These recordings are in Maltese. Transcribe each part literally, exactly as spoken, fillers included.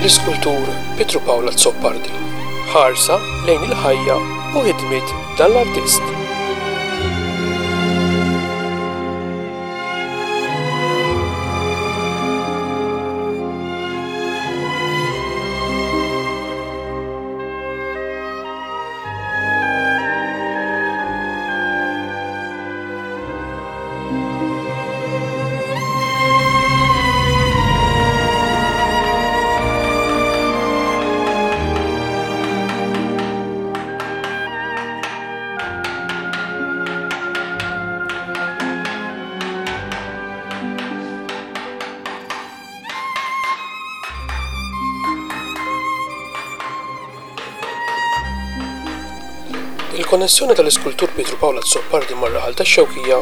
L-iskultur Pietru Pawl Azzopardi. Ħarsa lejn il-ħajja u ħidmiet dan l-artist. Il-konnessjoni tal-iskultur Pietru Pawl Azzopardi mar-raħal tax-Xewkija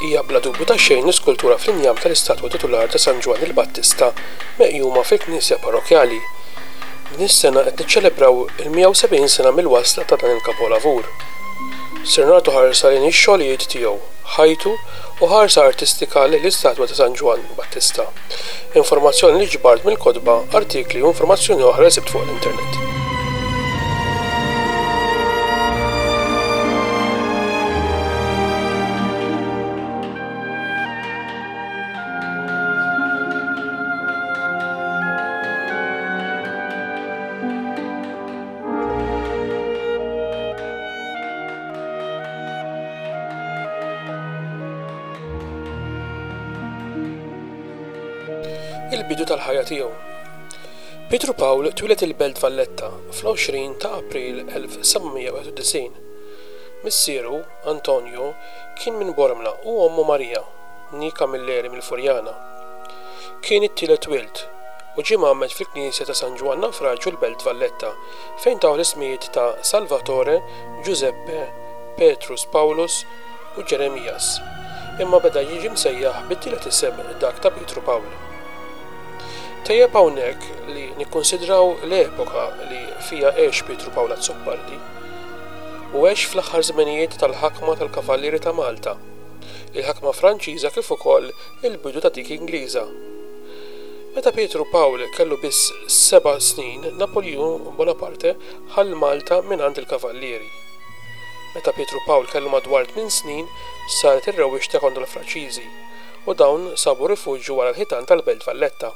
hija bla dubju ta' xejn l-iskultura fl-injam tal-istatwa titular ta' San Ġwann il-Battista meqjuma fil-knisja parrokkjali. Din is-sena qed niċċelebraw il-mija u sebgħin sena mill-wasla ta' dan il-kapolavur. Ser nagħtu ħarsa lejn ix-xogħlijiet tiegħu, ħajtu u ħarsa artistika lejn l-istatwa ta' San Ġwann Battista. Informazzjoni li ġbart mill-kotba, artikli u informazzjoni oħra li sibt fuq l-internet. Il-bidu tal-ħajja tiegħu. Pietru Pawl twieled il-Belt Valletta fl-għoxrin ta' April elf seba' mija wieħed u disgħin. Missieru, Antonio, kien minn Bormla u ommu Maria, ni Camilleri mill-Furjana. Kien it-tielet wild u ġie mgħammed fil-Knisja ta' San Ġwann Nawfraġġju l-Belt Valletta fejn taw l-ismijiet ta' Salvatore, Giuseppe, Petrus Paulus u Ġeremias. Imma beda jiġi msejjaħ bit-tielet isem dak ta' Pietru Pawl. Tejjeb hawnhekk li nikkonsidraw l-epoka li fija għex Pietru Pawl Azzopardi. U għex fl-aħħar żmenijiet tal-ħakma tal-Kavallieri ta' Malta, il-ħakma Franċiża kif ukoll il-bidu ta' dik Ingliża. Meta Pietru Pawl kellu biss seba' snin, Napoleon Bonaparte ħall Malta mingħand il-Kavallieri. Meta Pietru Pawl kellu madwar tmien snin, saret ir-rewwixta kontra l-Franċiżi u dawn sabu rifuġju wara l-ħitan tal-Belt Valletta.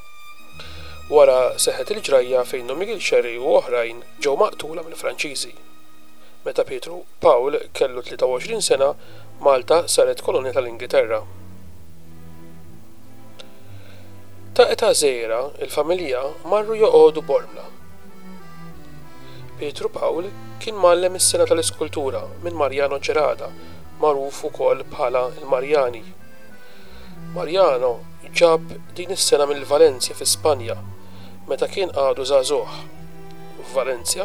Wara seħħet il-ġrajja fejn Dom Miguel Xerri u oħrajn ġew maqtula mill-Franċiżi. Meta Pietru Pawl kellu tlieta u għoxrin sena, Malta saret kolonja tal-Ingilterra. Ta' età żgħira, il-familja marru joqogħdu Bormla. Pietru Pawl kien mgħallem is-sena tal-iskultura minn Mariano Gerada, magħruf ukoll bħala l-Marjani. Mariano ġab din is-sena mill-Valencia fi Spanja meta kien għadu żagħżugħ. F'Valencia,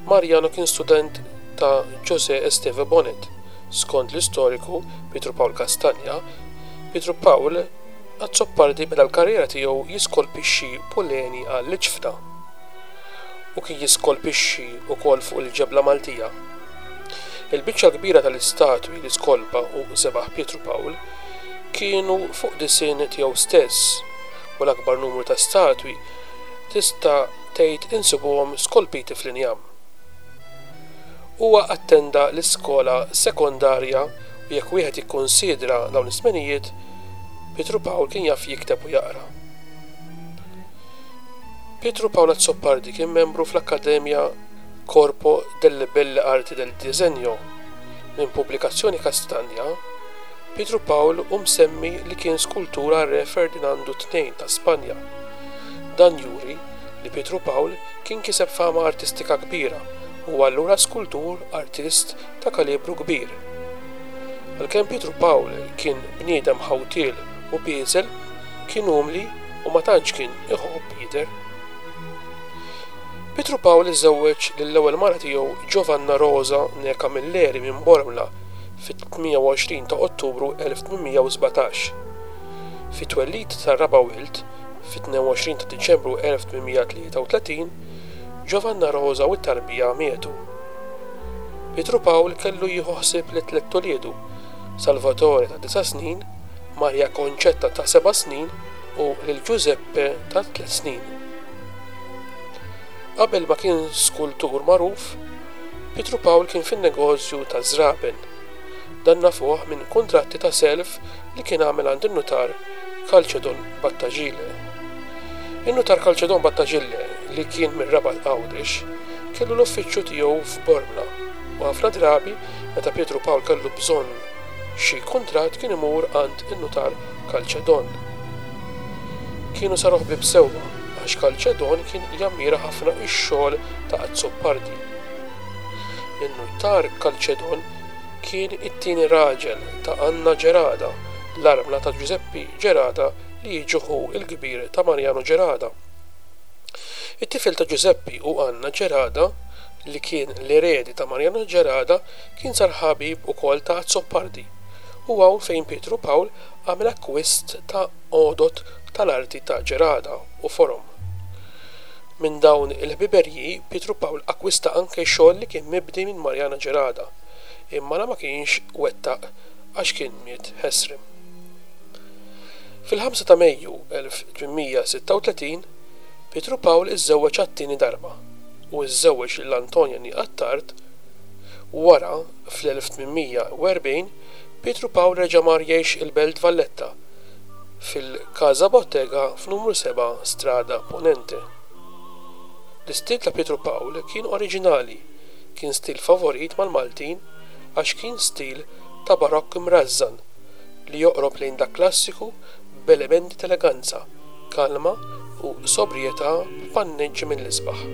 Mariano kien student ta' José Esteve Bonet. Skont l-istoriku Pietru Pawl Castagna, Pietru Pawl Azzopardi beda l-karriera tiegħu jiskolpixxi puleni għall-iġfna u kien jiskolpixxi wkoll fuq il-ġebla Maltija. Il-biċċa kbira tal-istatwi li skolpa u żebaħ Pietru Pawl kienu fuq disinn tiegħu stess u l-akbar numru ta' statwi tista' tgħid insibuhom skolpiti fl-injam. Huwa attenda l-iskola sekondarja u jekk wieħed jikkonsidra dawn iż-żmenijiet, Pietru Pawl kien jaf jikteb u jaqra. Pietru Pawl Azzopardi kien membru fl-Akkademja Corpo delle Belle Arti del Disegno. Minn pubblikazzjoni Castagna, Pietru Pawl hu msemmi li kien skultura re Ferdinandu tnejn ta' Spanja. Dan juri li Pietru Pawl kien kiseb fama artistika kbira u allura skultur artist ta' kalibru kbir. Għalkemm Pietru Pawl kien bniedem ħawtiel u bieżel, kien umli u ma tantx kien iħobb jidher. Pietru Pawl iżżewweġ lill-ewwel mara tiegħu Giovanna Rosa ne Camilleri minn Bormla fit-tmienja u għoxrin ta' Ottubru elf tmien mija u sbatax. Fit-twellid tar-raba' wild, fit-tnejn u għoxrin ta' Diċembru elf tmien mija tlieta u tletin, Giovanna Rosa u t-tarbija mietu. Pietru Pawl kellu jieħu ħsieb li tliet uliedu, Salvatore ta' disa' snin, Maria Concetta ta' seba' snin u lil Giuseppe ta' tliet snin. Qabel ma kien skultur magħruf, Pietru Pawl kien fin-negozju taż-żraben. Dan nafuh minn kuntratti ta' self li kien għamel għand in-nutar Calcedon Battagile. In-nutar Calcedon Battagile, li kien mir-Rabat Għawdex, kellu l-uffiċċju tiegħu f'Bormla u ħafna drabi meta Pietru Pawl kellu bżonn xi kuntratt kien imur għand in-nutar Calcedon. Kienu saru ħbieb sewwa għax Calcedon kien jammira ħafna x-xogħol ta' Azzopardi. In-nutar Calcedon kien it-tieni raġel ta' Anna Gerada, l-armla ta' Giuseppe Gerada li jiġi ħu l-kbir ta' Mariano Gerada. It-tifel ta' Giuseppe u Anna Gerada, li kien l-eredi ta' Mariano Gerada, kien sar ħabib ukoll ta' Azzopardi u hawn fejn Pietru Pawl għamel akkwist ta' għodod tal-arti ta' Gerada u forom. Minn dawn il-ħbiberji Pietru Pawl akkwista anke xogħol li kien mibdi minn Mariano Gerada, imma la ma kienx wettaq għax kien miet ħesrem. Fil-ħamsa ta' Mejju elf tmien mija sitta u tletin, Pietru Pawl iżżewweġ għat-tieni darba u iżżewweġ lil Antonia Attard. Wara, fl-elf tmien mija u erbgħin, Pietru Pawl reġa' mar jgħix il-Belt Valletta fil-Casa Bottega f'numru seba' Strada Ponente. L-istil ta' Pietru Pawl kien oriġinali, kien stil favorit mal-Maltin għax kien stil ta' barokk imrażżan li joqrob lejn dak klassiku b'elementi ta' eleganza, kalma u sobrietà b'panneġġi mill-isbaħ.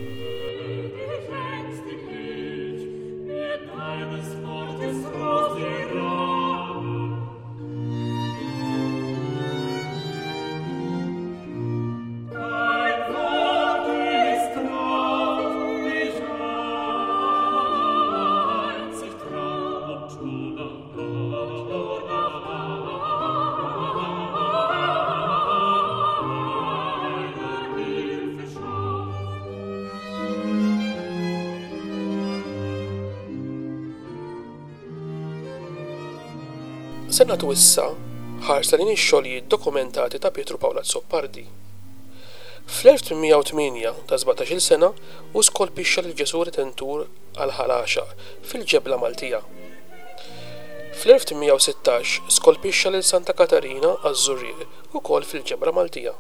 Se nagħtu issa ħarsa lejn ix-xogħlijiet dokumentati ta' Pietru Pawl Azzopardi. Fl-elf tmien mija u tmienja ta' sbatax-il sena hu skolpixxa lil Ġesù Redentur għal Ħal Għaxaq fil-Ġebla Maltija. Fl-elf tmien mija u sittax skolpixxa lil Santa Katarina għaż-Żurrieq ukoll fil-Ġebla Maltija.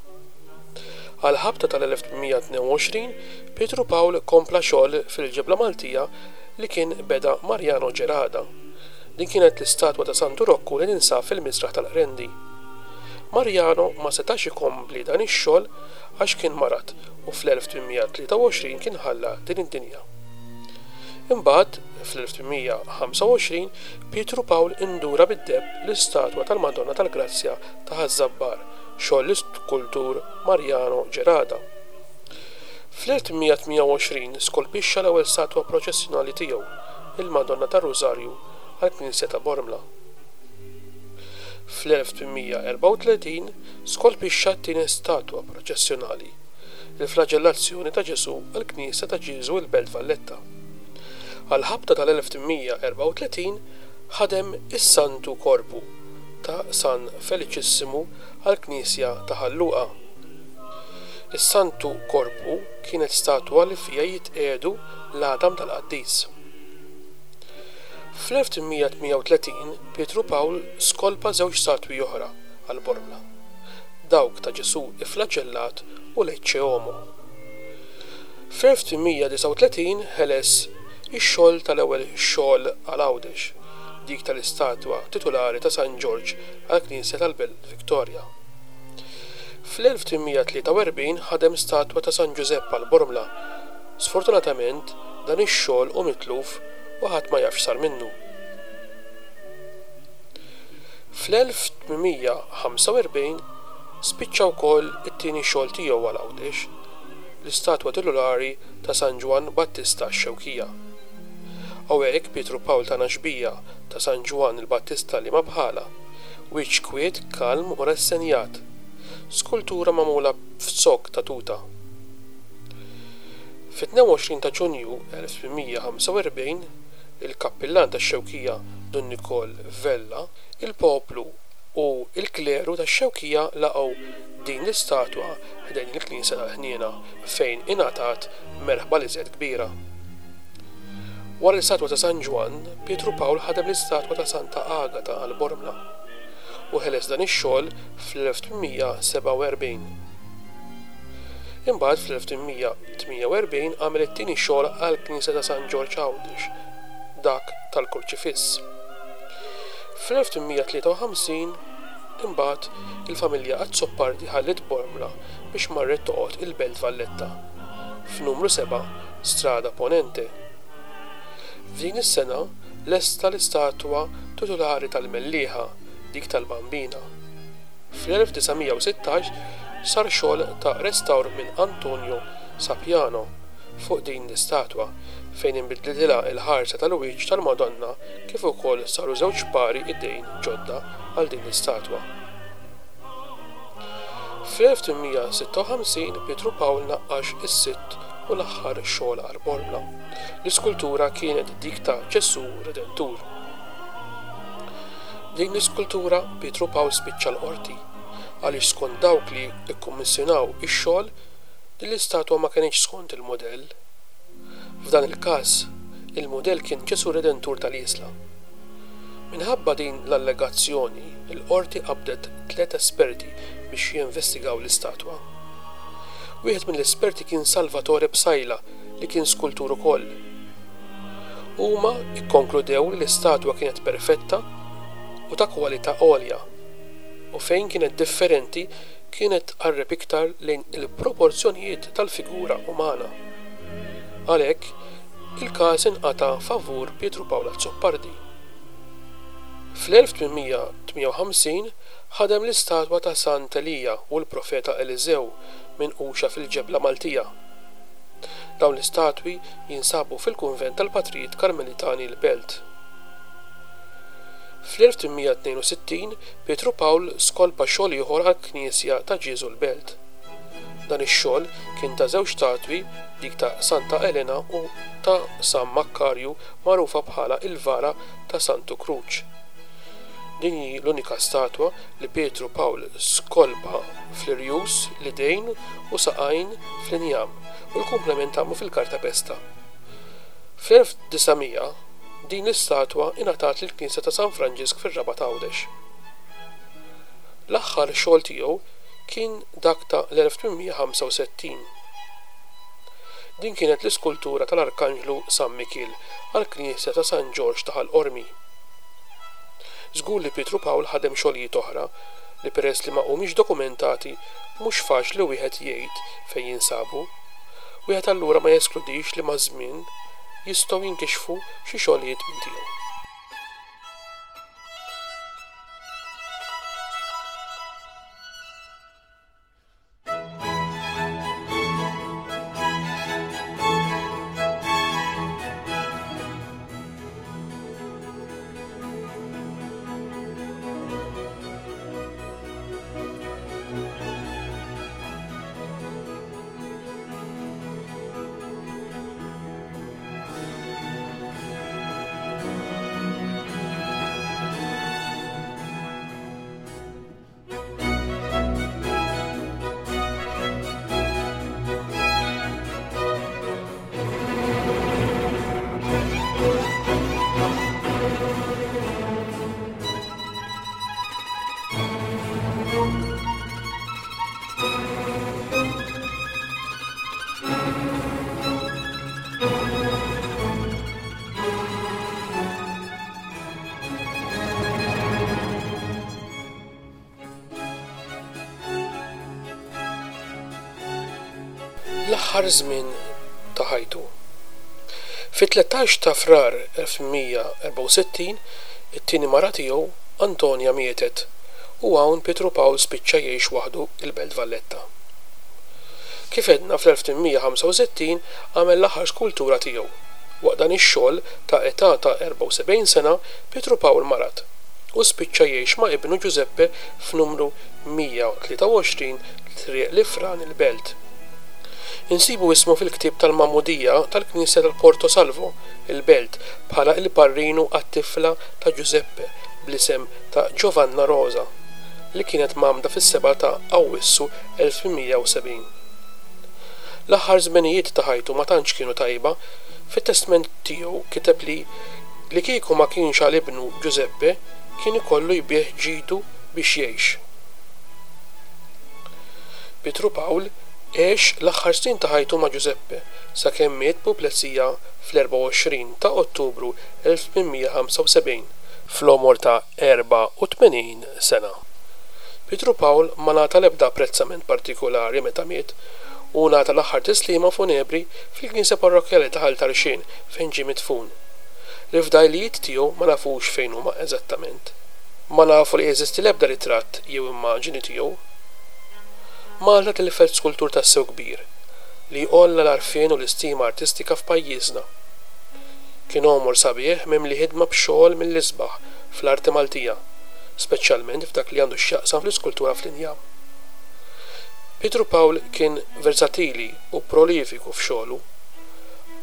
Għal ħabta tal-elf tmien mija tnejn u għoxrin Pietru Pawl kompla xogħol fil-Ġebla Maltija li kien beda Mariano Gerada. Din kienet l-istatwa ta' Santu Rokku li ninsab fil-Misraħ tal-Qrendi. Mariano ma setax ikompli dan ix-xogħol għax kien marad u fl-elf tmien mija tlieta u għoxrin kien ħalla din id-dinja. Imbagħad, fl-elf tmien mija ħamsa u għoxrin, Pietru Pawl indura bid-deheb l-istatwa tal-Madonna tal-Grazzja ta' Ħaż-Żabbar, xogħol l-iskultur Mariano Gerada. Fl-elf tmien mija tmien u għoxrin skolpixxa l-ewwel statwa proċessjonali tiegħu, il-Madonna tar-Rużarju għall-Knisja ta' Bormla. Fl-elf tmien mija erbgħa u tletin skolpixxa t-tieni statwa proċessjonali, il-flagellazzjoni ta' Ġesù għall-Knisja ta' Ġieżu il-Belt Valletta. Għall-ħabta tal-elf tmien mija erbgħa u tletin ħadem is-Santu Korpu ta' San Feliċissimu għall-Knisja ta' Ħal Luqa. Is-Santu Korpu kienet statwa li fija jitqiegħdu l-għadam tal-qaddis. Fl-elf tmien mija tmien u tletin Pietru Pawl skolpa żewġ statwi oħra għal Bormla, dawk ta' Ġesù iflaġellat u l-Ecce Homo. Fl-elf tmien mija disgħa u tletin ħeles ix-xogħol tal-ewwel xogħol għal Għawdex, dik tal-istatwa titulari ta' San Ġorġ għall-Knisja tal-Belt Victoria. Fl-elf tmien mija tlieta u erbgħin ħadem statwa ta' San Ġużepp għal Bormla. Sfortunatament dan ix-xogħol hu mitluf u ħadd ma jafx sar minnu. Fl-elf tmien mija ħamsa u erbgħin spiċċa wkoll it-tieni xogħol tiegħu għal Għawdex, l-istatwa titulari ta' San Ġwann Battista x-Xewkija. Hawnhekk Pietru Pawl tana xbija ta' San Ġwann il-Battista li ma bħala, wiċċ kwiet, kalm u rassenjat, skultura magħmula f'zokk ta' tuta. Fit-tnejn u għoxrin ta' Ġunju elf tmien mija ħamsa u erbgħin, il-kappillan tax-Xewkija Dun Nikol Vella, il-poplu u l-kleru tax-Xewkija laqgħu din l-istatwa ħdejn il-Knisja tal-Ħniena fejn ingħatat merħba l-iżjed kbira. Wara l-istatwa ta' San Ġwann, Pietru Pawl ħadem l-istatwa ta' Santa Agata għal Bormla u ħeles dan ix-xogħol fl-elf tmien mija sebgħa u erbgħin. Imbagħad fl-elf tmien mija tmienja u erbgħin għamel it-tieni xogħol għall-Knisja ta' San Ġorġ Għawdex, dak tal-Kurċifiss. Fl-elf tmien mija tlieta u ħamsin imbagħad il-familja Azzopardi ħalliet Bormla biex marret toqgħod il-Belt Valletta, f'numru sebgħa Strada Ponente. F'din is-sena lesta l-istatwa titulari tal-Mellieħa, dik tal-Bambina. Fl-elf disa' mija u sittax sar xogħol ta' restawr minn Antonio Sapiano fuq din l-istatwa fejn inbidlitilha l-ħarsa tal-wiċċ tal-Madonna kif ukoll saru żewġ pari idejn ġodda għal din l-istatwa. Fl-elf tmien mija sitta u ħamsin Pietru Pawl naqqax is-sitt u l-aħħar xogħol għal Bormla. L-iskultura kienet dik ta' Ġesù Redentur. Din l-iskultura Pietru Pawl spiċċa l-qorti għaliex skont dawk li kkummissjonaw ix-xogħol din l-istatwa ma kenitx skont il-mudell. F'dan il-każ, il-mudell kien Ġesù Redentur tal-Isla. Minħabba din l-allegazzjoni, il-qorti qabdet tliet esperti biex jinvestigaw l-istatwa. Wieħed mill-esperti kien Salvatore Psaila li kien skultur ukoll. Huma kkonkludew li l-istatwa kienet perfetta u ta' kwalità għolja, u fejn kienet differenti kienet tqarreb iktar lejn il-proporzjonijiet tal-figura umana. Għalhekk, il-każ inqata' favur Pietru Pawl Azzopardi. Fl-elf tmien mija tmienja u ħamsin ħadem l-istatwa ta' Sant Elija u l-profeta Eliżew minquxa fil-ġebla Maltija. Dawn l-istatwi jinsabu fil-kunvent tal-Patrijiet Karmelitani l-Belt. Fl-elf tmien mija tnejn u sittin Pietru Pawl skolpa xogħol ieħor għall-Knisja ta' Ġieżu l-Belt. Dan ix-xogħol kien ta' żewġ statwi, dik ta' Santa Elena u ta' San Makkarju magħrufa bħala il-Vara ta' Santu Kruċ. Din hi l-unika statwa li Pietru Pawl skolpa fl-irjus, l-idejn u saqajn fl-injam u l-komplement għamlu fil-kartapesta. Fl-elf disa' mija din l-istatwa ingħatat lill-Knisja ta' San Franġisk fir-Rabat Għawdex. L-aħħar xogħol tiegħu kien dak ta' l-elf tmien mija ħamsa u sittin. Din kienet l-iskultura tal-Arkanġlu San Mikiel għall-Knisja ta' San Ġorġ ta' Ħal Qormi. Żgur li Pietru Pawl ħadem xogħlijiet oħra li peress li ma humiex dokumentati mhux faċli wieħed jgħid fejn jinsabu. Wieħed allura ma jeskludix li maż-żmien jistgħu jinkixfu xi xogħlijiet minn tiegħu. L-aħħar żmien ta' ħajtu. Fit-tlettax ta' Frar elf mija erbgħa u sittin, it-tieni mara tiegħu, Antonia, mietet u hawn Pietru Pawl spiċċa jgħix waħdu il-Belt Valletta. Kif għedna fl-elf tmien mija ħamsa u sittin għamel l-aħħar skultura tiegħu. Waqt dan ix-xogħol ta' età ta' erbgħa u sebgħin sena, Pietru Pawl marad u spiċċa jgħix ma' ibnu Giuseppe f'numru mija u tlieta u għoxrin Triq Lifran il-Belt. Insibu ismu fil-ktieb tal-Magħmudija tal-Knisja tal-Porto Salvo, il-Belt, bħala il-parrinu għat-tifla ta' Giuseppe bl-isem ta' Giovanna Rosa, li kienet mgħammda fis-sebgħa ta' Awwissu elf tmien mija u sebgħin. L-aħħar żmenijiet ta' ħajtu ma tantx kienu tajba. Fit-testment tiegħu kiteb li li kieku ma kienx għal ibnu Giuseppe kien ikollu jbigħ ġidu biex jgħix. Pietru Pawl għex l-aħħar snin ta' ħajtu ma' Giuseppe sakemm miet b'puplesija fl-erbgħa u għoxrin ta' Ottubru elf tmien mija ħamsa u sebgħin fl-għomor ta' erbgħa u tmenin sena. Pietru Pawl ma ngħata l-ebda apprezzament partikulari meta miet u ngħata l-aħħar tislima funebri fil-knisja parrokkjali ta' Ħal Tarxien fejn ġie midfun. L-ifdajlijiet tiegħu ma nafux fejn huma eżattament. Ma nafu li jeżisti l-ebda ritratt jew immaġini tiegħu. Malta tilfet skultur tassew kbir li għolla l-għarfien u l-istima artistika f'pajjiżna. Kien għomor sabiħ mimli ħidma b'xogħol mill-isbaħ fl-arti Maltija, speċjalment f'dak li għandu x'jaqsam fl-iskultura fl-injam. Pietru Pawl kien versatili u prolifiku f'xogħlu.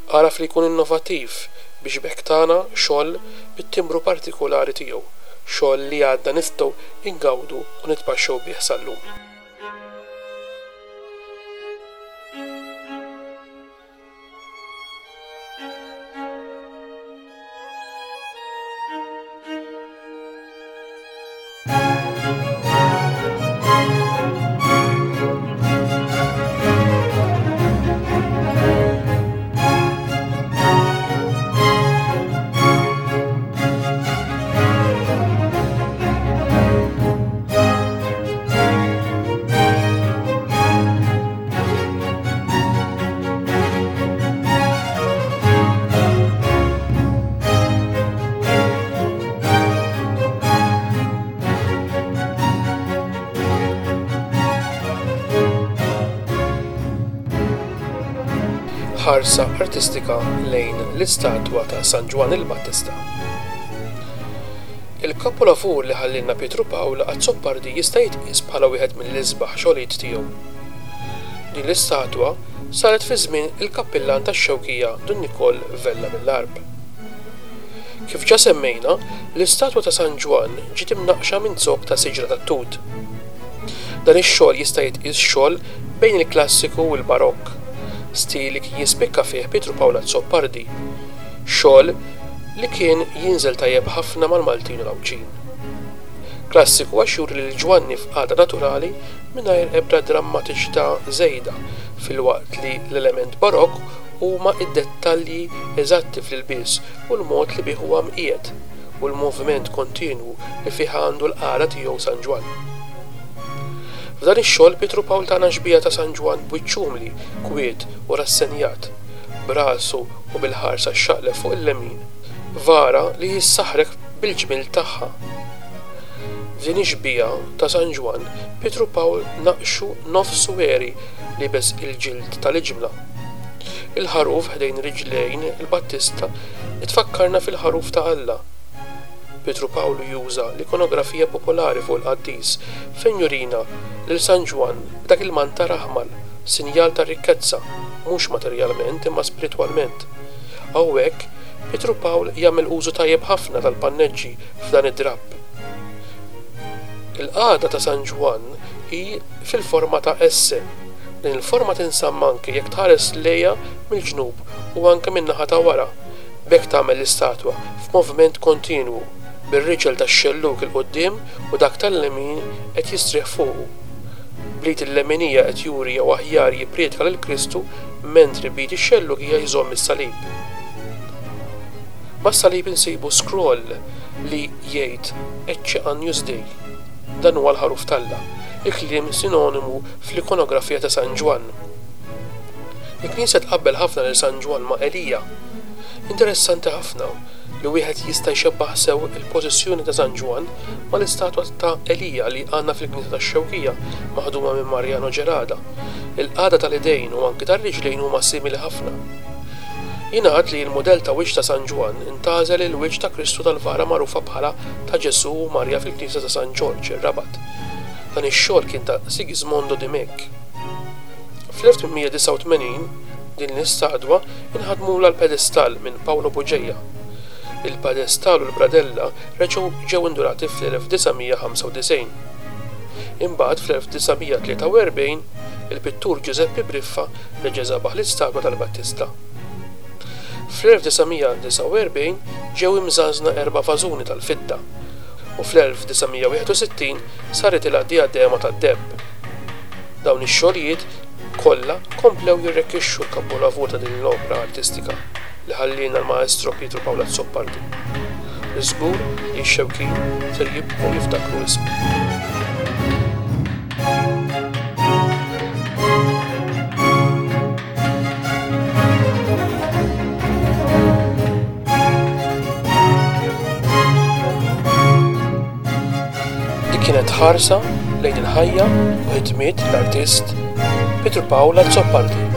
Għaraf li jkun innovattiv biex b'hekk tana xogħol bit-timbru partikulari tiegħu, xogħol li għadna nistgħu ingawdu u nitpaxxew bih sal-lum. Ħarsa artistika lejn l-istatwa ta' San Ġwann il-Battista. Il-kapolavur li ħallilna Pietru Pawl Azzopardi jista' jitqies bħala wieħed mill-isbaħ xogħlijiet tiegħu. Din l-istatwa saret fi żmien il-kappillan tax-Xewkija Dun Nikol Vella mill-Għarb. Kif ġa semmejna, l-istatwa ta' San Ġwann ġiet imnaqqxa minn zokk ta' siġra tat-tut. Dan ix-xogħol jista' jitqies xogħol bejn il-klassiku u l-barokk, stil li kien jispikka fih Pietru Pawl Azzopardi, xogħol li kien jinżel tajjeb ħafna mal-Maltin u l-Għawdxin. Klassiku għax juri lil Ġwanni f'qagħda naturali mingħajr ebda drammatiċità żejda, filwaqt li l-element barokk huma id-dettalji eżatti fl-ilbies u l-mod li bih huwa mqiegħed u l-moviment kontinwu li fih għandu l-qagħda tiegħu San Ġwann. F'dan ix-xogħol Pietru Pawl tana xbieha ta' San Ġwann b'wiċċ umli, kwiet u rassenjat, b'rasu u bil-ħarsa xxaqleb fuq il-lemin, vara li jissaħrek bil-ġmiel tagħha. F'din ix-xbieha ta' San Ġwann, Pietru Pawl naqxu nofs għeri libes il-ġild tal-iġmla. Il-ħaruf ħdejn riġlejn il-Battista itfakkarna fil-ħaruf ta' Alla. Pietru Pawlu juża l-ikonografija popolari fuq il-qaddis fejn jurina lil San Ġwann b'dak il-mantar aħmar, sinjal ta' rikkezza, mhux materjalment imma spiritwalment. Hawnhekk Pietru Pawl jagħmel użu tajjeb ħafna tal-panneġġi f'dan id-drapp. Il-qagħda ta' San Ġwann hi fil-forma ta' S. Din il-forma tinżamm anke jekk tħares lejha mill-ġnub u anke min-naħa ta' wara, b'hekk tagħmel l-istatwa f'moviment kontinwu, bir-riġel tax-xellug il-quddiem u dak tal-lemin qed jistrieħ fuqu. B'id il-leminija qed juri jew aħjar jippriedka lil Kristu, mentri b'id ix-xellugija jżomm is-salib. Mas-salib insibu scroll li jgħid Ecce Agnus Dei. Dan huwa l-ħaruf t'Alla, il-kliem sinonimu fl-ikonografija ta' San Ġwann. Il-Knisja tqabbel ħafna lil San Ġwann ma' Elija. Interessanti ħafna li wieħed jista' jxebbaħ sew il-pożizzjoni ta' San Ġwann mal-istatwa ta' Elija li għandna fil-Knisja tax-Xewkija maħduma minn Mariano Gerada. Il-qagħda tal-idejn u anki tar-riġlejn huma simili ħafna. Jingħad li l-mudell ta' wiċċ ta' San Ġwann intgħażel il-wiċċ ta' Kristu tal-vara magħrufa bħala ta' Ġesù u Marja fil-Knisja ta' San Ġorġ ir-Rabat. Dan ix-xogħol kien ta' Sigismondo Dimech. Fl-elf tmien mija disgħa u tmenin din l-istatwa inħadmulha l-pedestal minn Paolo Bugeja. Il-pedestal u l-bradella reġgħu ġew indurati fl-elf disa' mija ħamsa u disgħin. Imbagħad fl-elf disa' mija tlieta u erbgħin il-pittur Giuseppe Briffa reġa' żabaħ l-istatwa tal-Battista. Fl-elf disa' mija disgħa u erbgħin ġew imżażna erba' vażuni tal-fidda u fl-elf disa' mija wieħed u sittin saritilha dijadema tad-deheb. Dawn ix-xogħlijiet kollha komplew jirrekkixxu l-kapolavur ta' din l-opra artistika li ħallielna l-Maestro Pietru Pawl Azzopardi, li żgur li x-Xewkin ser jibqgħu jiftakru ismu. Dik kienet ħarsa lejn il-ħajja u ħidmiet l-artist Pietru Pawl Azzopardi.